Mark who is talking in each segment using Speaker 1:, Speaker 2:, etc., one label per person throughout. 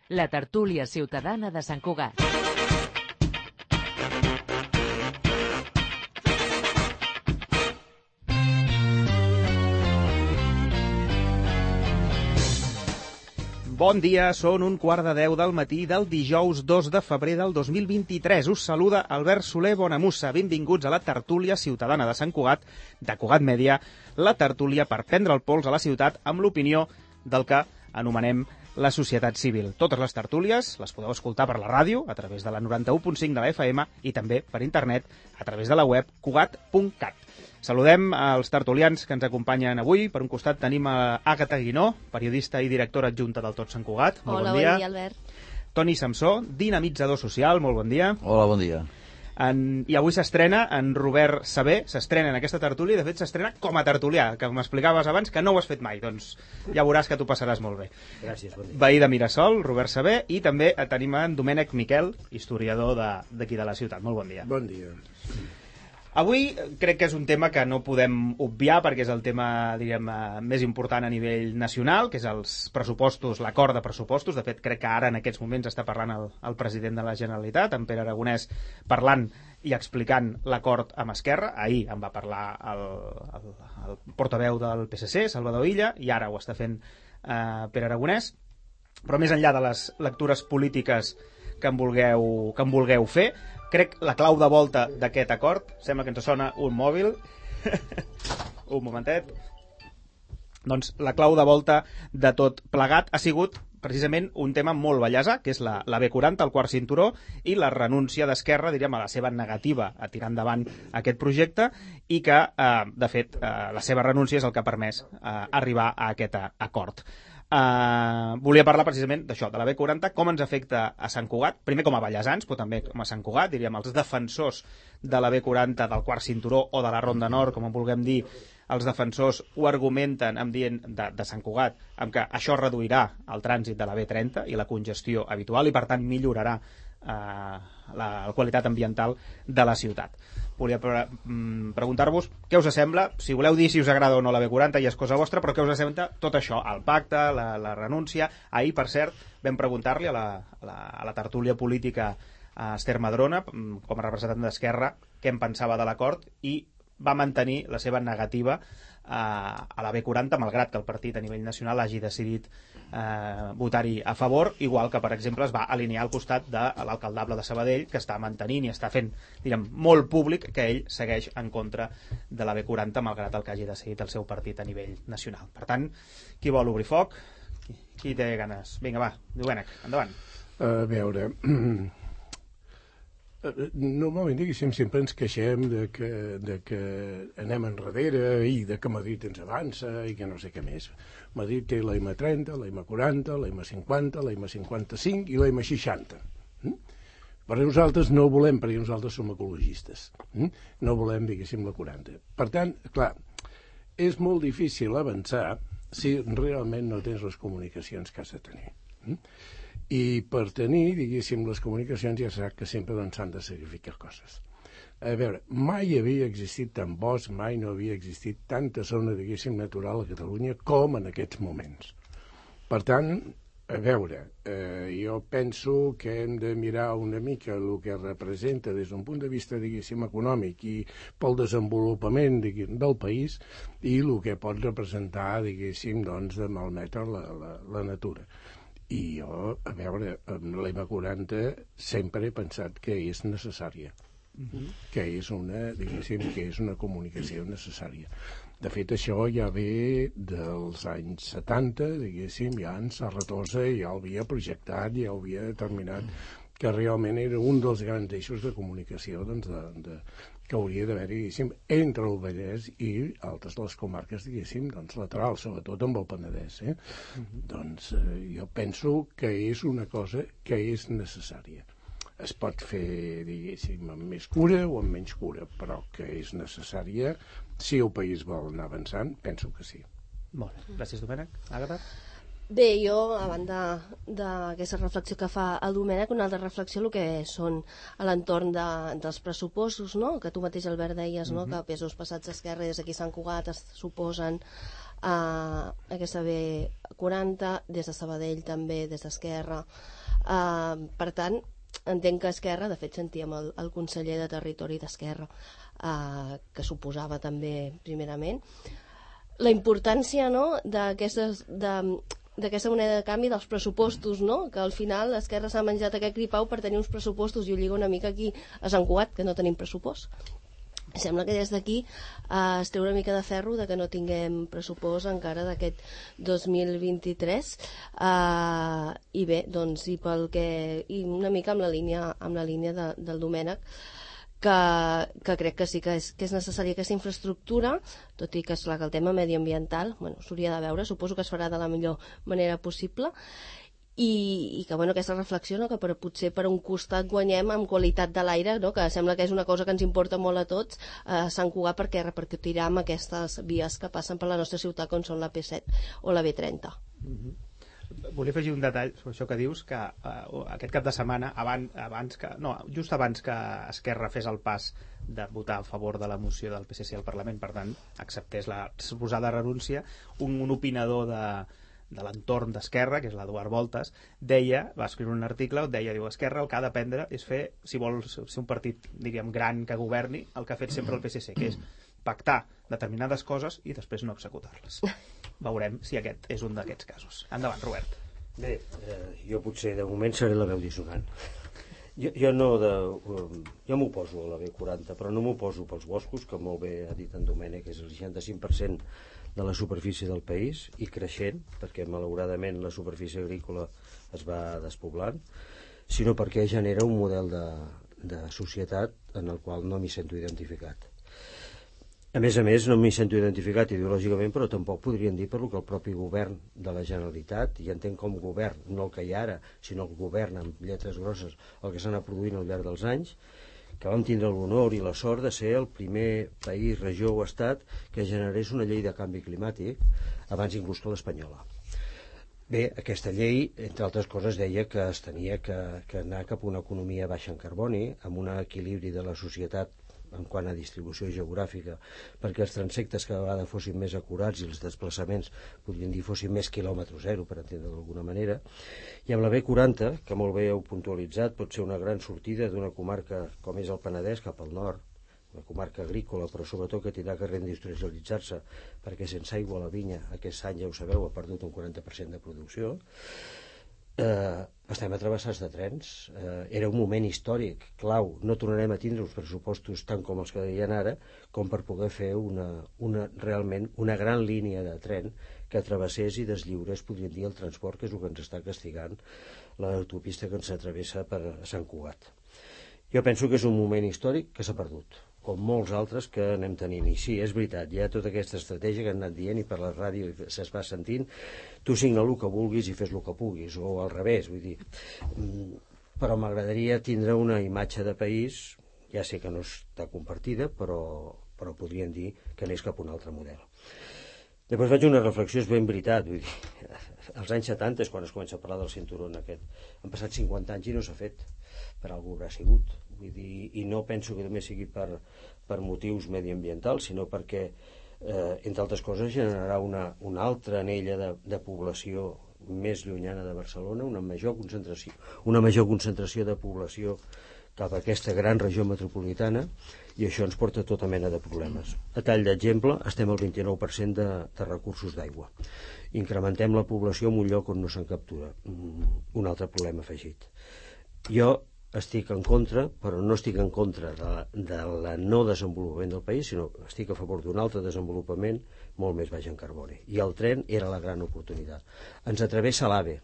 Speaker 1: La tertúlia ciutadana de Sant Cugat.
Speaker 2: Bon dia, són 1:15 del matí del dijous 2 de febrer del 2023. Us saluda Albert Soler Bonamussa. Benvinguts a la tertúlia ciutadana de Sant Cugat, de Cugat Mèdia, la tertúlia per prendre el pols a la ciutat amb l'opinió del que anomenem la societat civil. Totes les tertúlies les podeu escoltar per la ràdio, a través de la 91.5 de la FM i també per internet a través de la web cugat.cat. Saludem als tertulians que ens acompanyen avui. Per un costat tenim a Àgata Guinó, periodista i directora adjunta del Tot Sant Cugat. Molt
Speaker 3: Hola,
Speaker 2: bon dia.
Speaker 3: Bon dia, Albert.
Speaker 2: Toni Samsó, dinamitzador social. Molt bon dia.
Speaker 4: Hola, bon dia.
Speaker 2: I avui s'estrena en Robert Sabé, s'estrena en aquesta tertúlia, de fet s'estrena com a tertulià, que m'explicaves abans que no ho has fet mai, doncs ja veuràs que t'ho passaràs molt bé.
Speaker 5: Gràcies, bon dia.
Speaker 2: Veí de Mirasol, Robert Sabé, i també tenim en Domènec Miquel, historiador d'aquí de la ciutat. Molt bon dia.
Speaker 5: Bon dia.
Speaker 2: Avui crec que és un tema que no podem obviar perquè és el tema, diríem, més important a nivell nacional, que és els pressupostos, l'acord de pressupostos. De fet, crec que ara en aquests moments està parlant el president de la Generalitat, en Pere Aragonès, parlant i explicant l'acord amb Esquerra. Ahir en va parlar el portaveu del PSC, Salvador Illa, i ara ho està fent Pere Aragonès. Però més enllà de les lectures polítiques que en vulgueu fer, crec la clau de volta d'aquest acord, sembla que ens sona un mòbil, un momentet, doncs la clau de volta de tot plegat ha sigut precisament un tema molt bellesa, que és la B40, el quart cinturó, i la renúncia d'Esquerra, diríem, a la seva negativa a tirar endavant aquest projecte, i que, de fet, la seva renúncia és el que ha permès arribar a aquest acord. Volia parlar precisament d'això, de la B40, com ens afecta a Sant Cugat, primer com a ballesans, però també com a Sant Cugat, diríem, els defensors de la B40, del quart cinturó o de la Ronda Nord, com en vulguem dir, els defensors ho argumenten de Sant Cugat, amb que això reduirà el trànsit de la B30 i la congestió habitual i per tant millorarà la qualitat ambiental de la ciutat. Volia preguntar-vos què us sembla, si voleu dir si us agrada o no la B40 ja és cosa vostra, però què us sembla tot això, el pacte, la renúncia. Ahir, per cert, vam preguntar-li a la tertúlia política a Esther Madrona, com a representant d'Esquerra, què en pensava de l'acord, i va mantenir la seva negativa a la B40, malgrat que el partit a nivell nacional hagi decidit votar-hi a favor, igual que, per exemple, es va alinear al costat de l'alcaldable de Sabadell, que està mantenint i està fent, diguem, molt públic que ell segueix en contra de la B40, malgrat el que hagi decidit el seu partit a nivell nacional. Per tant, qui vol obrir foc? Qui té ganes? Vinga, va, Domènec, endavant.
Speaker 5: A veure... Normalment, diguéssim, sempre ens queixem de que anem enrere i de que Madrid ens avança i que no sé què més. Madrid té la M30, la M40, la M50, la M55 i la M60. Però nosaltres no ho volem, perquè nosaltres som ecologistes. No volem, diguéssim, la 40. Per tant, clar, és molt difícil avançar si realment no tens les comunicacions que has de tenir. I per tenir, diguéssim, les comunicacions ja sap que sempre s'han de sacrificar coses. A veure, mai havia existit tant bosc, mai no havia existit tanta zona, diguéssim, natural a Catalunya com en aquests moments. Per tant, a veure, jo penso que hem de mirar una mica el que representa des d'un punt de vista, diguéssim, econòmic i pel desenvolupament del país i el que pot representar, diguéssim, doncs, de malmetre la natura. I jo, a veure, amb la M40 sempre he pensat que és necessària, que és una comunicació necessària. De fet, això ja ve dels anys 70, diguéssim, ja en Serratosa ja ho havia projectat, ja ho havia determinat, que realment era un dels grans eixos de comunicació que hauria d'haver, diguéssim, entre el Vallès i altres les comarques, diguéssim, doncs laterals, sobretot amb el Penedès. Doncs jo penso que és una cosa que és necessària. Es pot fer, diguéssim, amb més cura o amb menys cura, però que és necessària. Si el país vol anar avançant, penso que sí.
Speaker 2: Molt bé. Gràcies, Domènec. Àgata?
Speaker 3: Bé, jo, a banda d'aquesta reflexió que fa el Domènec, una altra reflexió el que són a l'entorn dels pressupostos, no? Que tu mateix, Albert, deies, no? Que pesos passats d'Esquerra des d'aquí Sant Cugat es suposen aquesta B40, des de Sabadell també, des d'Esquerra. Per tant, entenc que Esquerra, de fet sentíem el conseller de Territori d'Esquerra, que suposava també primerament la importància, no?, d'aquesta moneda de canvi dels pressupostos, no?, que al final l'Esquerra s'ha menjat aquest gripau per tenir uns pressupostos, i ho lliga una mica aquí a Sant Cugat, que no tenim pressupost. Sembla que des d'aquí es treu una mica de ferro de que no tinguem pressupost encara d'aquest 2023, i bé, doncs, i una mica amb la línia del Domènec, que crec que sí que és necessària aquesta infraestructura, tot i que és clar que el tema mediambiental s'hauria de veure, suposo que es farà de la millor manera possible, i que aquesta reflexió, no, que potser per un costat guanyem amb qualitat de l'aire, no, que sembla que és una cosa que ens importa molt a tots a Sant Cugat, perquè repercutirà amb aquestes vies que passen per la nostra ciutat, com són la P7 o la B30.
Speaker 2: Volia afegir un detall sobre això que dius, que aquest cap de setmana, just abans que Esquerra fes el pas de votar a favor de la moció del PSC al Parlament, per tant, acceptés la suposada renúncia, un opinador de l'entorn d'Esquerra, que és l'Eduard Voltas, va escriure un article on diu, Esquerra el que ha d'aprendre és fer, si vol ser un partit, diríem, gran que governi, el que ha fet sempre el PSC, que és pactar determinades coses i després no executar-les. Veurem si aquest és un d'aquests casos. Endavant, Robert.
Speaker 4: Bé, jo potser de moment seré la veu dissonant. Jo m'oposo a la B40, però no m'oposo pels boscos, que molt bé ha dit en Domènec, que és el 65% de la superfície del país, i creixent, perquè malauradament la superfície agrícola es va despoblant, sinó perquè genera un model de societat en el qual no m'hi sento identificat. A més, no m'hi sento identificat ideològicament, però tampoc podrien dir per lo que el propi govern de la Generalitat, i entenc com govern, no el que hi ha ara, sinó el govern amb lletres grosses, el que s'ha anat produint al llarg dels anys, que vam tindre l'honor i la sort de ser el primer país, regió o estat que generés una llei de canvi climàtic abans inclús que l'espanyola. Bé, aquesta llei, entre altres coses, deia que es tenia que anar cap a una economia baixa en carboni, amb un equilibri de la societat en quant a distribució geogràfica, perquè els transectes cada vegada fossin més acurats i els desplaçaments, podríem dir, fossin més quilòmetre zero, per entendre d'alguna manera. I amb la B40, que molt bé heu puntualitzat, pot ser una gran sortida d'una comarca com és el Penedès cap al nord, una comarca agrícola, però sobretot que tindrà que reindustrialitzar-se, perquè sense aigua la vinya aquest any, ja ho sabeu, ha perdut un 40% de producció. Estem atrevessats de trens, era un moment històric clau, no tornarem a tindre uns pressupostos tant com els que deien ara, com per poder fer realment una gran línia de tren que travessés i deslliurés, podríem dir, el transport, que és el que ens està castigant l'autopista que ens atravessa per Sant Cugat. Jo penso que és un moment històric que s'ha perdut, com molts altres que anem tenint. I sí, és veritat, hi ha tota aquesta estratègia que han anat dient i per la ràdio se's va sentint, tu signa el que vulguis i fes el que puguis, o al revés, vull dir. Però m'agradaria tindre una imatge de país, ja sé que no està compartida, però podríem dir que anés cap a un altre model. Després faig una reflexió, és ben veritat, vull dir, als anys 70 és quan es comença a parlar del cinturó aquest. Han passat 50 anys i no s'ha fet, per algú haurà sigut. Vull dir, i no penso que només sigui per motius mediambientals, sinó perquè, entre altres coses, generarà una altra anella de població més llunyana de Barcelona, una major concentració de població cap a aquesta gran regió metropolitana, i això ens porta tota mena de problemes. A tall d'exemple, estem al 29% de recursos d'aigua. Incrementem la població en un lloc on no se'n captura. Un altre problema afegit. Jo estic en contra, però no estic en contra de la no desenvolupament del país, sinó estic a favor d'un altre desenvolupament molt més baix en carboni. I el tren era la gran oportunitat. Ens atravessa l'AVE.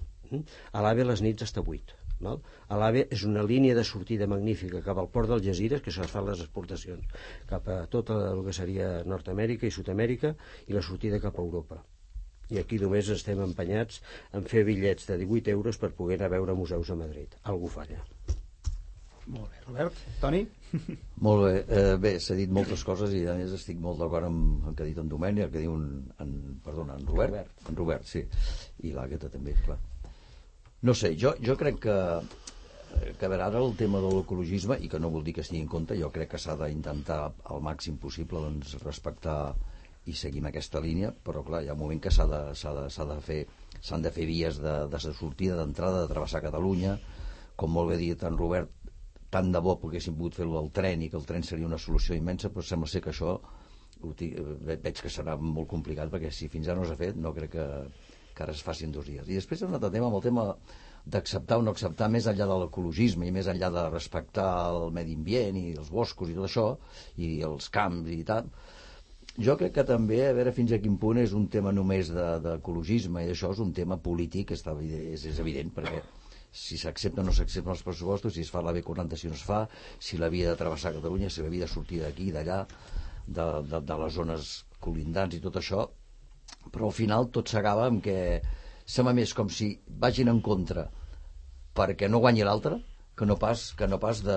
Speaker 4: A l'AVE les nits està buit. A l'AVE és una línia de sortida magnífica cap al port d'Algesires, que es fan les exportacions cap a tot el que seria Nord-Amèrica i Sud-amèrica, i la sortida cap a Europa. I aquí només estem empenyats en fer bitllets de 18 euros per poder anar a veure museus a Madrid. Algú falla.
Speaker 2: Molt bé, Robert. Toni?
Speaker 6: Molt bé. Bé, s'ha dit moltes coses i a més estic molt d'acord amb el que ha dit en Domènec, el que diu en Robert. En Robert, sí. I l'Àgata també, clar. No sé, jo crec que a veure, ara el tema de l'ecologisme, i que no vol dir que es tingui en compte, jo crec que s'ha d'intentar al màxim possible doncs, respectar i seguir amb aquesta línia, però clar, hi ha un moment que s'han de fer vies de sortida, d'entrada, de travessar Catalunya, com molt bé dit en Robert, tant de bo poguéssim pogut fer-ho al tren i que el tren seria una solució immensa, però sembla ser que això veig que serà molt complicat, perquè si fins ara no s'ha fet no crec que ara es faci en 2 dies. I després hi ha un altre tema, amb el tema d'acceptar o no acceptar, més enllà de l'ecologisme i més enllà de respectar el medi ambient i els boscos i tot això, i els camps i tal. Jo crec que també, a veure fins a quin punt és un tema només d'ecologisme, i això és un tema polític, és evident, perquè si s'accepta o no s'accepten els pressupostos, si es fa la B40, si no es fa, si la via de travessar Catalunya, si la via de sortir d'aquí, d'allà, de les zones colindants i tot això, però al final tot s'acaba amb que sembla més com si vagin en contra perquè no guanyi l'altre que no pas de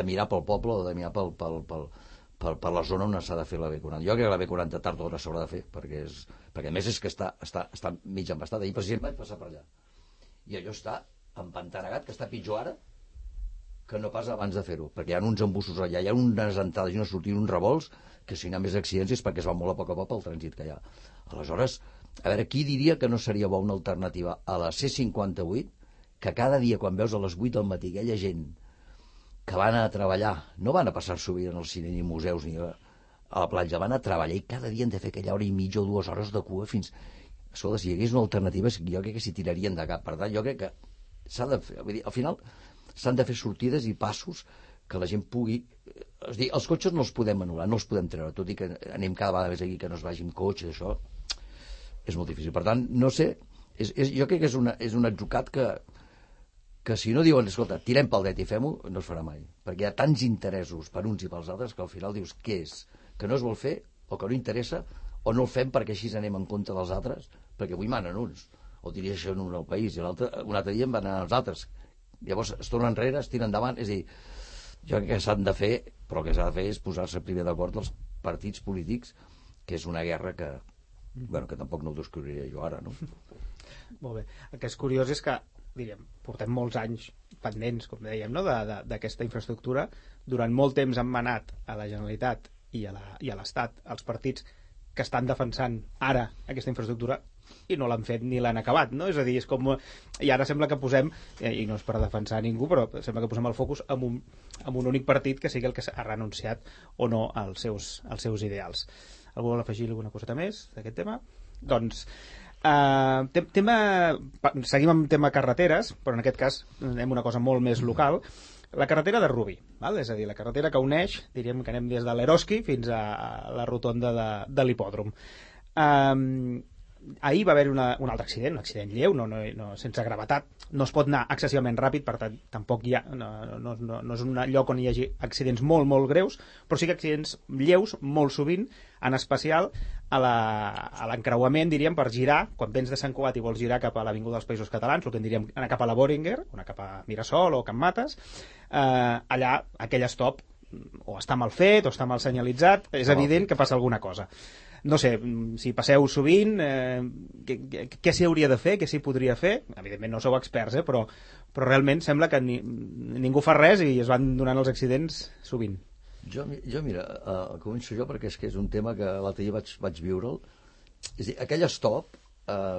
Speaker 6: mirar pel poble o de mirar per la zona on s'ha de fer la B40. Jo crec que la B40 tard o d'hora s'haurà de fer, perquè a més és que està mig embastada. Ahir president vaig passar per allà i allò està empantanegat, que està pitjor ara que no pas abans de fer-ho, perquè hi ha uns embussos allà, hi ha unes entrades i unes sortides, uns revolts, que si hi ha més accidents és perquè es va molt a poc el trànsit que hi ha. Aleshores, a veure, qui diria que no seria bo una alternativa a la C58, que cada dia quan veus a les 8 del matí aquella gent que van a treballar, no van a passar-s'ho bé en el cine ni museus ni a la platja, van a treballar i cada dia han de fer aquella hora i mitja o 2 hores de cua fins... Escolta, si hi hagués una alternativa, jo crec que s'hi tirarien de cap. Per tant, jo crec que s'ha de fer... Vull dir, al final s'han de fer sortides i passos que la gent pugui... És dir, els cotxes no els podem anul·lar, no els podem treure, tot i que anem cada vegada més aquí, que no es vagi amb cotxe, això és molt difícil. Per tant, no sé, jo crec que és un atzucat que si no diuen, escolta, tirem pel dret i fem-ho, no es farà mai. Perquè hi ha tants interessos per uns i pels altres que al final dius, què és? Que no es vol fer o que no interessa o no el fem perquè així anem en compte dels altres, perquè avui manen uns, o dirigeixen un al país, i un altre dia en van anar els altres. Llavors es tornen enrere, es tiren endavant, és a dir, jo crec que s'han de fer, però el que s'ha de fer és posar-se primer d'acord els partits polítics, que és una guerra que tampoc no ho descobriria jo ara, no?
Speaker 2: Molt bé. El que és curiós és que, diríem, portem molts anys pendents, com dèiem, no? d'aquesta infraestructura. Durant molt temps han manat a la Generalitat i a l'Estat els partits que estan defensant ara aquesta infraestructura i no l'han fet ni l'han acabat, no? És a dir, és com... I ara sembla que posem, i no és per defensar ningú, però sembla que posem el focus en un únic partit que sigui el que ha renunciat o no als seus ideals. Algú vol afegir alguna coseta més d'aquest tema? Doncs seguim amb tema carreteres, però en aquest cas anem a una cosa molt més local. La carretera de Rubí, val? És a dir, la carretera que uneix, diríem que anem des de l'Eroski fins a la rotonda de l'hipòdrom. Ahir va haver un altre accident, un accident lleu, sense gravetat. No es pot anar excessivament ràpid, per tant, tampoc hi ha, no és un lloc on hi hagi accidents molt, molt greus, però sí que accidents lleus, molt sovint, en especial a l'encreuament, diríem, per girar, quan vens de Sant Cugat i vols girar cap a l'Avinguda dels Països Catalans, el que en diríem anar cap a la Böhringer, anar cap a Mirasol o Can Mates, allà aquell stop o està mal fet o està mal senyalitzat, és evident que passa alguna cosa. No sé, si passeu sovint, què s'hi hauria de fer, què s'hi podria fer? Evidentment no sou experts, però realment sembla que ningú fa res i es van donant els accidents sovint.
Speaker 6: Jo mira, començo jo perquè és que és un tema que l'altre dia vaig viure'l. És a dir, aquell stop,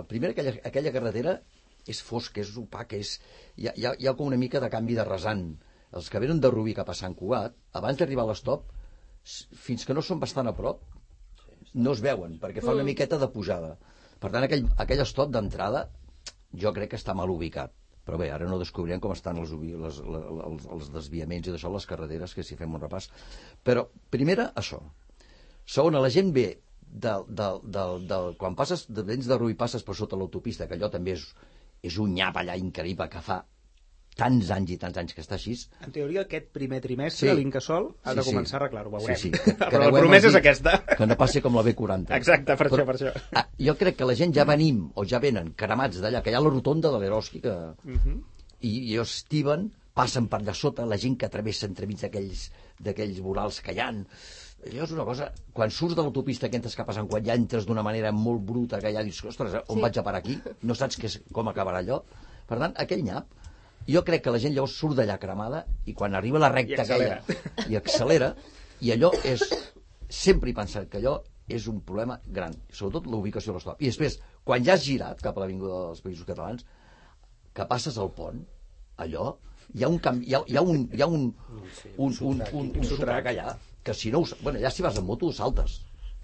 Speaker 6: primer aquella carretera és fosca, és opaca, hi ha com una mica de canvi de rasant. Els que venen de Rubí cap a Sant Cugat, abans d'arribar a l'estop, fins que no són bastant a prop, no es veuen, perquè fa una miqueta de pujada. Per tant, aquell stop d'entrada jo crec que està mal ubicat. Però bé, ara no descobrirem com estan els desviaments i d'això, les carreteres, que si fem un repàs. Però, primera, això. Segona, la gent ve quan passes, vens de Rubí, passes per sota l'autopista, que allò també és un nyap allà increïble, que fa tants anys que està així.
Speaker 2: En teoria, aquest primer trimestre, l'Incasòl ha de començar a arreglar-ho, veurem.
Speaker 6: Sí.
Speaker 2: Però la promesa és aquesta.
Speaker 6: Que no passi com la B40.
Speaker 2: Exacte, per això.
Speaker 6: Jo crec que la gent ja venim, o ja venen cremats d'allà, que hi ha la rotonda de l'Eroski, i estiven passen per allà sota, la gent que travessa entremig d'aquells vorals que hi ha. Allò és una cosa... Quan surts de l'autopista que entres cap a Sant Cugat, ja entres d'una manera molt bruta, que ja dius, ostres, on vaig a parar aquí? No saps com acabarà allò. Per tant, aquell nyap, jo crec que la gent llavors surt d'allà cremada i quan arriba a la recta aquella i accelera, i allò és... Sempre he pensat que allò és un problema gran, sobretot la ubicació de l'estop. I després, quan ja has girat cap a l'Avinguda dels Països Catalans, que passes al pont, allò, hi ha un canvi, hi ha un sotrac allà, que si no... Bueno, ja si vas en moto, saltes.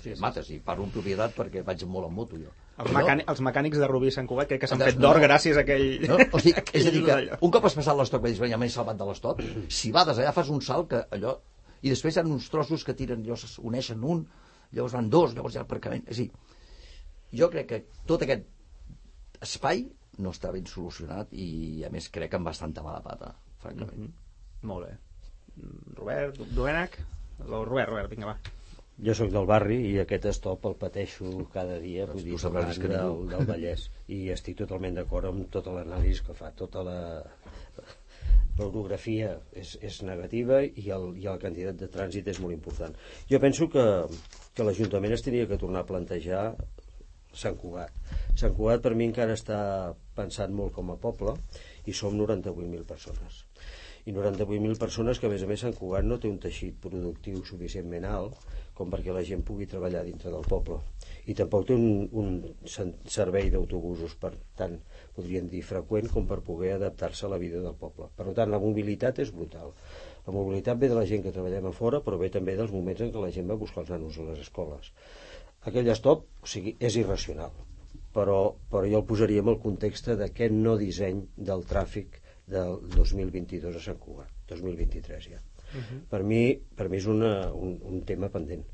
Speaker 6: Sí, mates, i parlo en propietat perquè vaig molt en moto, jo.
Speaker 2: Els mecànics de Rubí i Sant Cugat crec que s'han fet d'or gràcies a aquell...
Speaker 6: No, o sigui, és a dir, que un cop has passat l'estop, ja m'he salvat de l'estop, si vades allà fas un salt que allò... I després hi ha uns trossos que tiren, llavors uneixen un, llavors van dos, llavors hi ha aparcament... És a dir, jo crec que tot aquest espai no està ben solucionat i, a més, crec que amb bastanta mala pata, francament.
Speaker 2: Molt bé. Robert, Domènec? Robert, vinga, va.
Speaker 4: Jo sóc del barri i aquest stop el pateixo cada dia, vull dir, del Vallès, i estic totalment d'acord amb tota l'anàlisi que fa, tota l'orografia és negativa i la quantitat de trànsit és molt important. Jo penso que l'Ajuntament es tenia que tornar a plantejar Sant Cugat. Sant Cugat per mi encara està pensat molt com a poble i som 98.000 persones. I 98.000 persones que, a més, Sant Cugat no té un teixit productiu suficientment alt com perquè la gent pugui treballar dintre del poble. I tampoc té un servei d'autobusos, per tant, podríem dir freqüent, com per poder adaptar-se a la vida del poble. Per tant, la mobilitat és brutal. La mobilitat ve de la gent que treballem a fora, però ve també dels moments en què la gent va buscar els nanos a les escoles. Aquell stop, o sigui, és irracional, però jo el posaria en el context d'aquest no disseny del tràfic del 2022 a Sant Cugat, 2023 ja. Per mi és un tema pendent.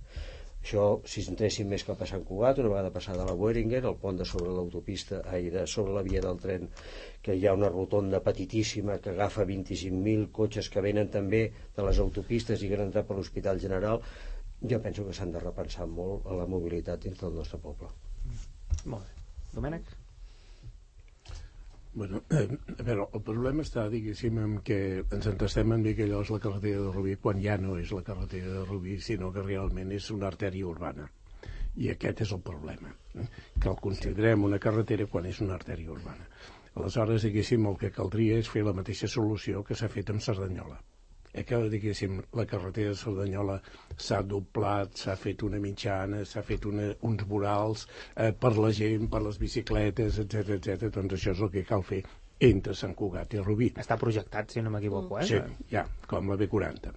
Speaker 4: Això, si entréssim més cap a Sant Cugat, una vegada passada la Boehringer, el pont de sobre l'autopista, sobre la via del tren, que hi ha una rotonda petitíssima que agafa 25.000 cotxes que venen també de les autopistes i que han entrat per l'Hospital General, jo penso que s'han de repensar molt a la mobilitat dins del nostre poble.
Speaker 2: Molt bé. Domènec?
Speaker 5: Bueno, a veure, el problema està, diguéssim, en que ens entestem en dir que allò és la carretera de Rubí quan ja no és la carretera de Rubí, sinó que realment és una artèria urbana. I aquest és el problema, que el considerem una carretera quan és una artèria urbana. Aleshores, diguéssim, el que caldria és fer la mateixa solució que s'ha fet amb Cerdanyola. Que, diguéssim, la carretera de Cerdanyola s'ha doblat, s'ha fet una mitjana, s'ha fet uns vorals per la gent, per les bicicletes, etc. Doncs això és el que cal fer entre Sant Cugat i Rubí.
Speaker 2: Està projectat, si no m'equivoco,
Speaker 5: Sí, ja, com la B40.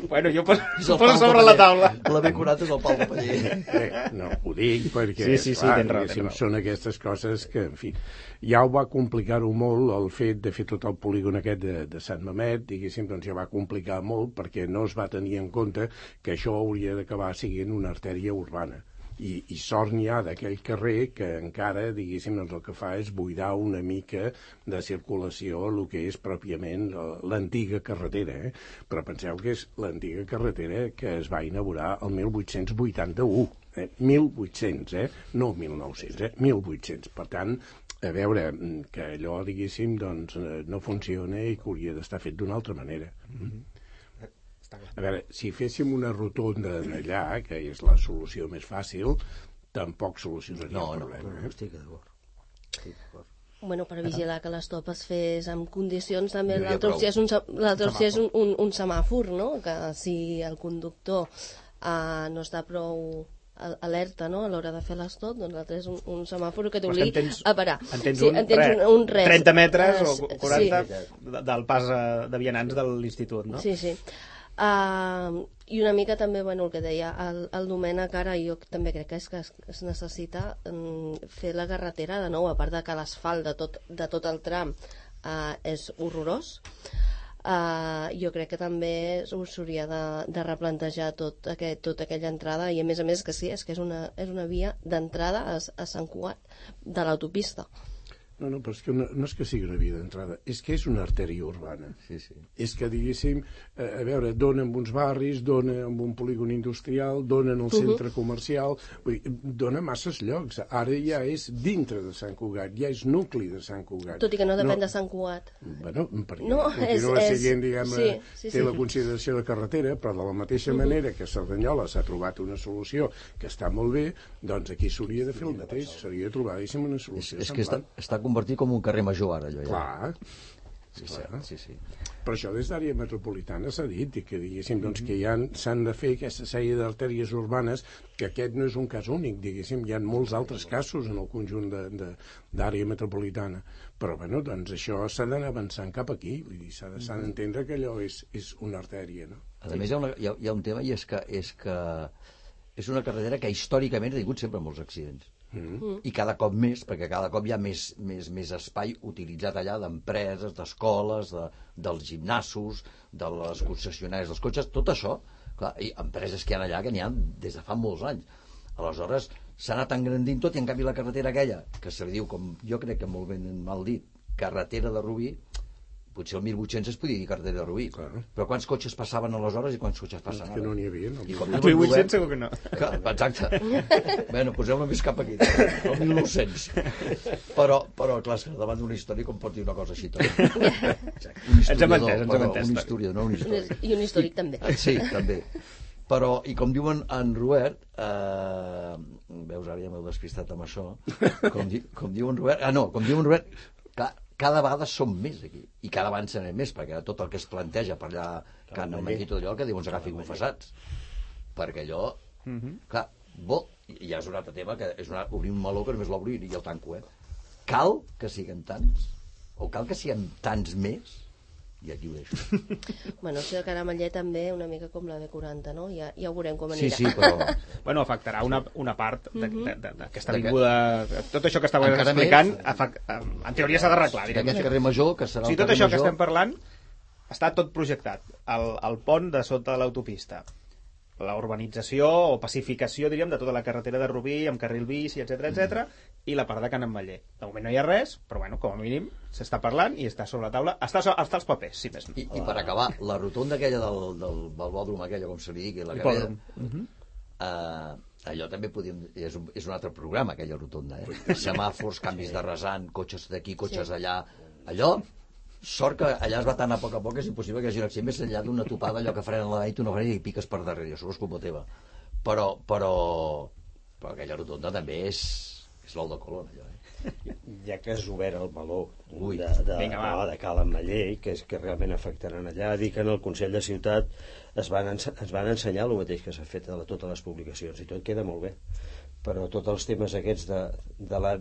Speaker 2: Bueno, jo poso sobre la taula.
Speaker 6: La B40 és el pal de paller.
Speaker 5: No, ho dic perquè
Speaker 2: sí, tens raó.
Speaker 5: Són aquestes coses que, en fi, ja ho va complicar-ho molt el fet de fer tot el polígon aquest de Sant Mamet, diguéssim, doncs ja va complicar molt perquè no es va tenir en compte que això hauria d'acabar sent una artèria urbana. I sort n'hi ha d'aquell carrer que encara, diguéssim, doncs el que fa és buidar una mica de circulació el que és pròpiament l'antiga carretera, però penseu que és l'antiga carretera que es va inaugurar el 1881, 1800, no 1900, 1800. Per tant, a veure, que allò, diguéssim, doncs no funciona i que hauria d'estar fet d'una altra manera. A veure, si féssim una rotonda allà, que és la solució més fàcil, tampoc solucionaria el problema.
Speaker 4: No, estic d'acord.
Speaker 3: Bueno, per vigilar que l'estop es fes en condicions, també l'altre opció és un semàfor, no? Que si el conductor no està prou alerta, no?, a l'hora de fer l'estop, doncs l'altre és un semàfor que t'obligui a parar.
Speaker 2: Entens un 30 metres o 40 del pas de vianants de l'institut, no?
Speaker 3: Sí. I una mica també, bueno, el que deia el Domènec ara, jo també crec que es necessita fer la carretera de nou, a part de que l'asfalt de tot el tram és horrorós. Jo crec que també s'hauria de replantejar tota aquella entrada, i a més que sí, és que és una via d'entrada a Sant Cugat de l'autopista.
Speaker 5: No, però és que no és que sigui una via d'entrada, és que és una artèria urbana.
Speaker 6: Sí, sí.
Speaker 5: És que, diguéssim, a veure, dona en uns barris, dona en un polígon industrial, dona en el centre comercial, vull dir, dona masses llocs. Ara ja és dintre de Sant Cugat, ja és nucli de Sant Cugat.
Speaker 3: Tot i que no depèn de Sant Cugat.
Speaker 5: Bueno, perquè
Speaker 3: No,
Speaker 5: continua
Speaker 3: és-
Speaker 5: sent, diguem,
Speaker 3: sí.
Speaker 5: té la consideració de carretera, però de la mateixa manera que a Cerdanyola s'ha trobat una solució que està molt bé, doncs aquí s'hauria de fer el mateix, s'hauria de trobar, diguéssim, una solució
Speaker 6: És que
Speaker 5: semblant.
Speaker 6: està convertit com un carrer major ara, allò ja.
Speaker 5: Clar,
Speaker 6: Sí.
Speaker 5: però això des d'àrea metropolitana s'ha dit, i que diguéssim doncs, que s'han de fer aquesta sèrie d'artèries urbanes, que aquest no és un cas únic, diguéssim, hi ha molts altres casos en el conjunt d'àrea metropolitana, però bueno, doncs això s'ha d'anar avançant cap aquí, vull dir, s'ha d'entendre que allò és una artèria, no?
Speaker 6: A més, hi ha un tema, i és que és una carretera que històricament ha tingut sempre molts accidents. I cada cop més, perquè cada cop hi ha més espai utilitzat allà d'empreses, d'escoles, dels gimnasos, de les concessionàries dels cotxes, tot això, clar, i empreses que hi ha allà que n'hi ha des de fa molts anys. Aleshores, s'ha anat engrandint tot, i en canvi la carretera aquella, que se li diu, com jo crec que molt ben mal dit, carretera de Rubí, potser el 1800 es podia dir carretera de Rubí, però quants cotxes passaven aleshores i quants cotxes passen ara?
Speaker 5: Que no n'hi havia, no?
Speaker 2: El 1800 segur que no.
Speaker 6: Exacte. Bueno, posem-la més cap aquí, el 1900. Però clar, és que davant d'una història com pot dir una cosa així també.
Speaker 2: Ens hem entès.
Speaker 6: Un historiador, no un històric.
Speaker 3: I un històric també.
Speaker 6: Sí, també. Però, i com diuen en Robert, veus, ara ja m'heu despistat amb això, com diuen Robert, com diuen Robert, clar, cada vegada som més aquí, i cada vegada en serem més, perquè tot el que es planteja per allà, Can Ametller i tot allò, que diuen ens agafi confessats, perquè allò, clar, ja és un altre tema, que és obrir un meló que només l'obro i el tanco, cal que siguem tants, o cal que siguem tants més, i aquí ho deixo.
Speaker 3: Bueno, si el Caramellet també, una mica com la B40, no? Ja ho veurem com anirà.
Speaker 6: Sí, però...
Speaker 2: Bueno, afectarà una part d'aquesta avinguda... Tot això que estàveu
Speaker 6: Encara
Speaker 2: explicant, en teoria s'ha d'arreglar.
Speaker 6: D'aquest carrer major, que serà
Speaker 2: O sigui,
Speaker 6: el
Speaker 2: tot
Speaker 6: carrer
Speaker 2: això que
Speaker 6: major...
Speaker 2: estem parlant està tot projectat. El pont de sota de l'autopista, la urbanització o pacificació, diríem, de tota la carretera de Rubí, amb carril bici, etc, i la part de Can Ametller. De moment no hi ha res, però bueno, com a mínim s'està parlant i està sobre la taula, està als papers, si més no.
Speaker 6: I per acabar, la rotonda aquella del balbòdrom, aquella, com se li digui, la que allò també podíem... És un altre programa, aquella rotonda, semàfors, canvis de rasant, cotxes d'aquí, cotxes d'allà... Allò, sort que allà es va tant a poc que és impossible que hi hagi un accident més enllà d'una topada, allò que frenen la i tu no frenes i piques per darrere, això és culpa teva. Però aquella rotonda també és l'ou de Colón, allò,
Speaker 4: Ja que has obert el meló
Speaker 2: de
Speaker 4: Cal Ametller, que és que realment afectaran allà, dir que en el Consell de Ciutat ens van ensenyar el mateix que s'ha fet a totes les publicacions, i tot queda molt bé, però tots els temes aquests de la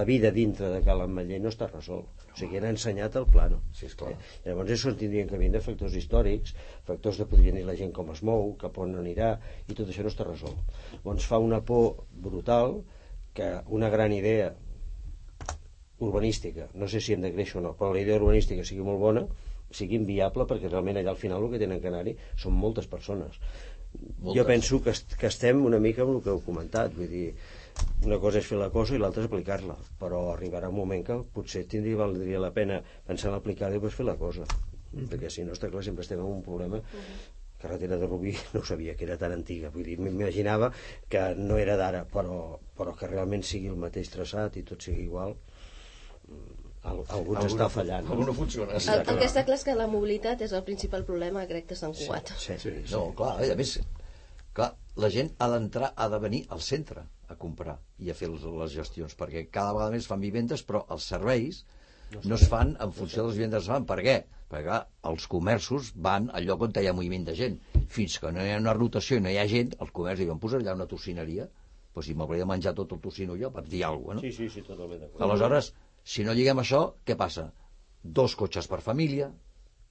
Speaker 4: vida dintre de Cal Ametller no està resolt. O sigui, han ensenyat el plano.
Speaker 6: Sí, esclar.
Speaker 4: Llavors això tindrien que venir de factors històrics, factors de podria dir la gent com es mou, cap on anirà, i tot això no està resolt. Llavors fa una por brutal que una gran idea urbanística, no sé si hem de créixer o no, però la idea urbanística sigui molt bona, sigui inviable, perquè realment allà al final el que tenen que anar-hi són moltes persones. Jo penso que estem una mica amb el que heu comentat, vull dir, una cosa és fer la cosa i l'altra és aplicar-la, però arribarà un moment que potser valdria la pena pensar en aplicar-la i després fer la cosa, perquè si no, està clar, sempre estem en un problema. Carretera de Rubí no sabia que era tan antiga, vull dir, m'imaginava que no era d'ara, però que realment sigui el mateix traçat i tot sigui igual, algú ens està fallant.
Speaker 6: Algú no funciona.
Speaker 3: El que està clar és que la mobilitat és el principal problema, crec, de Sant Cugat.
Speaker 4: Sí.
Speaker 6: No, clar, a més, la gent ha de venir al centre a comprar i a fer les gestions, perquè cada vegada més fan vivendes, però els serveis no es fan en funció de les vivendes que es fan. Per què? Perquè clar, els comerços van al lloc on hi ha moviment de gent. Fins que no hi ha una rotació i no hi ha gent, els comerços diuen, posar allà una tocineria, doncs si m'hauria de menjar tot el tocino jo, per dir alguna cosa, no?
Speaker 4: Sí, totalment d'acord.
Speaker 6: Aleshores, si no lliguem això, què passa? 2 cotxes per família,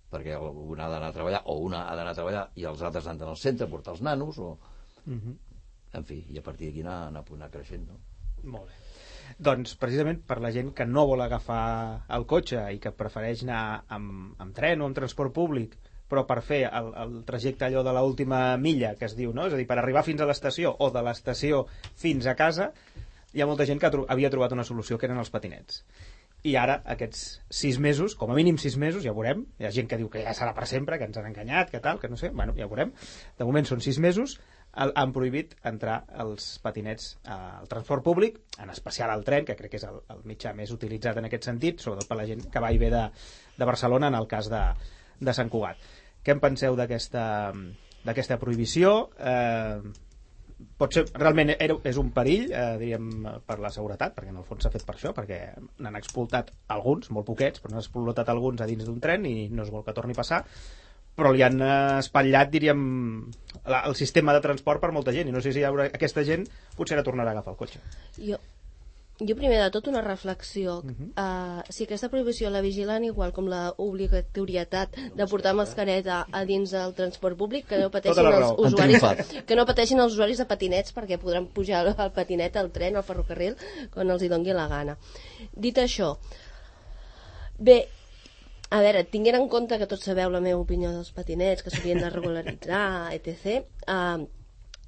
Speaker 6: perquè una ha d'anar a treballar, o una ha d'anar a treballar i els altres han d'anar al centre a portar els nanos, o... En fi, i a partir d'aquí anar creixent, no?
Speaker 2: Molt bé. Doncs precisament per la gent que no vol agafar el cotxe i que prefereix anar amb tren o amb transport públic, però per fer el trajecte allò de l'última milla que es diu, no? És a dir, per arribar fins a l'estació o de l'estació fins a casa, hi ha molta gent que havia trobat una solució, que eren els patinets. I ara, aquests 6 mesos, com a mínim 6 mesos, ja veurem. Hi ha gent que diu que ja serà per sempre, que ens han enganyat, que tal, que no sé, bueno, ja veurem. De moment són 6 mesos, han prohibit entrar els patinets al transport públic, en especial al tren, que crec que és el mitjà més utilitzat en aquest sentit, sobretot per la gent que va i ve de Barcelona, en el cas de Sant Cugat. Què en penseu d'aquesta prohibició? Potser realment és un perill, diríem, per la seguretat, perquè en el fons s'ha fet per això, perquè n'han explotat alguns, molt poquets, però n'han explotat alguns a dins d'un tren i no es vol que torni a passar, però li han espatllat, diríem, el sistema de transport per molta gent, i no sé si aquesta gent potser ara tornarà a agafar el cotxe.
Speaker 3: Jo primer de tot una reflexió. Si aquesta prohibició la vigilen igual com la obligatorietat de portar mascareta a dins del transport públic, que no pateixin els usuaris de patinets, perquè podran pujar el patinet al tren, al ferrocarril, quan els hi doni la gana. Dit això, bé, a veure, tinguent en compte que tots sabeu la meva opinió dels patinets, que s'haurien de regularitzar, etc.,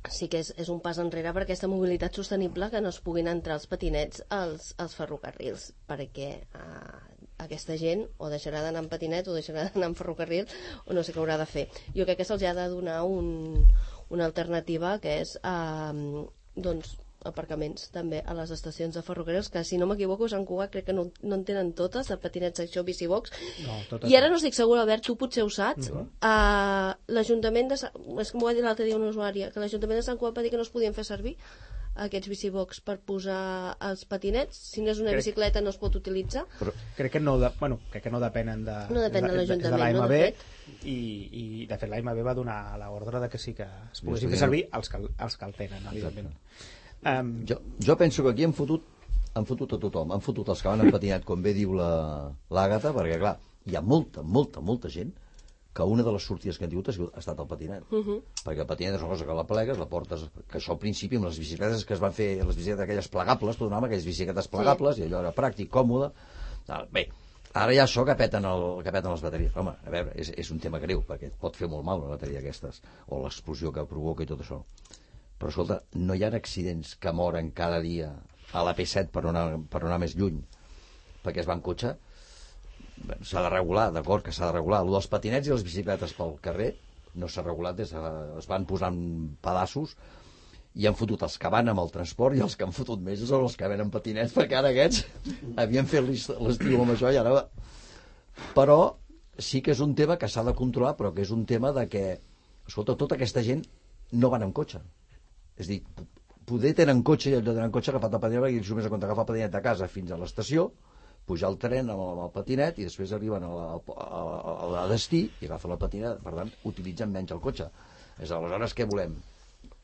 Speaker 3: sí que és un pas enrere per aquesta mobilitat sostenible, que no es puguin entrar els patinets als ferrocarrils, perquè aquesta gent o deixarà d'anar en patinet o deixarà d'anar en ferrocarril o no sé què haurà de fer. Jo crec que se'ls ha de donar una alternativa, que és doncs aparcaments també a les estacions de ferrocarrils, que si no m'equivoco Sant Cugat crec que no en tenen totes, de patinets això, bicibox, i ara no estic segura, Albert, tu potser ho saps, l'Ajuntament és que m'ho va dir l'altre dia una usuària, que l'Ajuntament de Sant Cugat va dir que no es podien fer servir aquests bicibox per posar els patinets, si no és una bicicleta no es pot utilitzar.
Speaker 2: Però crec que no depenen de l'AMB, i de fet l'AMB va donar l'ordre de que sí que es poguessin fer servir els que el tenen, evidentment.
Speaker 6: Jo penso que aquí han fotut a tothom, han fotut els que van en patinet, com bé diu l'Àgata, perquè clar, hi ha molta gent que una de les sortides que han tingut ha estat el patinet, perquè el patinet és una cosa que la plegues, la portes, que això al principi amb les bicicletes que es van fer, les bicicletes aquelles plegables, tu donaves aquelles bicicletes plegables, i allò era pràctic, còmode. Bé, ara hi ha això que peten les bateries. Home, a veure, és un tema greu, perquè et pot fer molt mal una bateria d'aquestes, o l'explosió que provoca i tot això. Però escolta, no hi ha accidents que moren cada dia a la P7 per anar més lluny perquè es va en cotxe. S'ha de regular, d'acord que s'ha de regular. El dels patinets i les bicicletes pel carrer no s'ha regulat, es van posant pedaços i han fotut els que van amb el transport, i els que han fotut més són els que ven amb patinets, perquè ara aquests havien fet l'estiu amb això i ara... Però sí que és un tema que s'ha de controlar, però que és un tema de que, escolta, tota aquesta gent no van amb cotxe. És a dir, poder tenen cotxe, i allò tenen cotxe agafat el patinet, perquè ells només han agafar el patinet de casa fins a l'estació, pujar al tren amb el patinet i després arriben a destí i agafen el patinet, per tant utilitzen menys el cotxe. Aleshores què volem?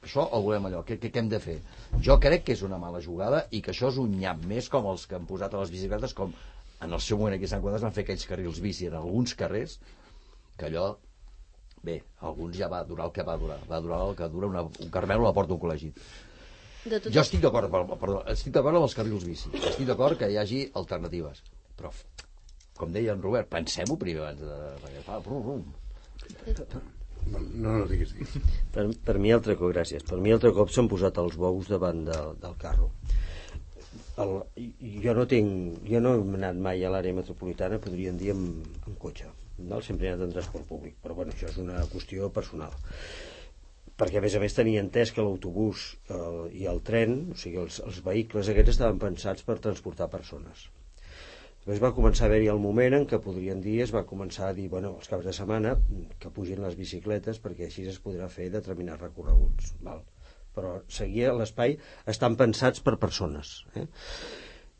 Speaker 6: Això o volem allò? Què hem de fer? Jo crec que és una mala jugada i que això és un nyap més com els que han posat a les bicicletes, com en el seu moment aquí a Sant Cugat van fer aquells carrils bici en alguns carrers, que allò, bé, alguns ja va durar el que va durar el que dura un Carmelo a la porta d'un col·legi. Jo estic d'acord amb els carrils bici, estic d'acord que hi hagi alternatives, però com deia en Robert, pensem-ho primer abans perquè fa
Speaker 5: no diguis.
Speaker 4: Per mi altre cop, gràcies, per mi altre cop s'han posat els bous davant del carro. Jo no he anat mai a l'àrea metropolitana, podríem dir en cotxe, sempre he anat en transport públic, però bueno, això és una qüestió personal, perquè a més tenia entès que l'autobús i el tren, o sigui els vehicles aquests estaven pensats per transportar persones. Després va començar a haver-hi el moment en què podríem dir, es va començar a dir, bueno, els caps de setmana que pugin les bicicletes perquè així es podrà fer determinats recorreguts, val? Però seguia l'espai, estan pensats per persones,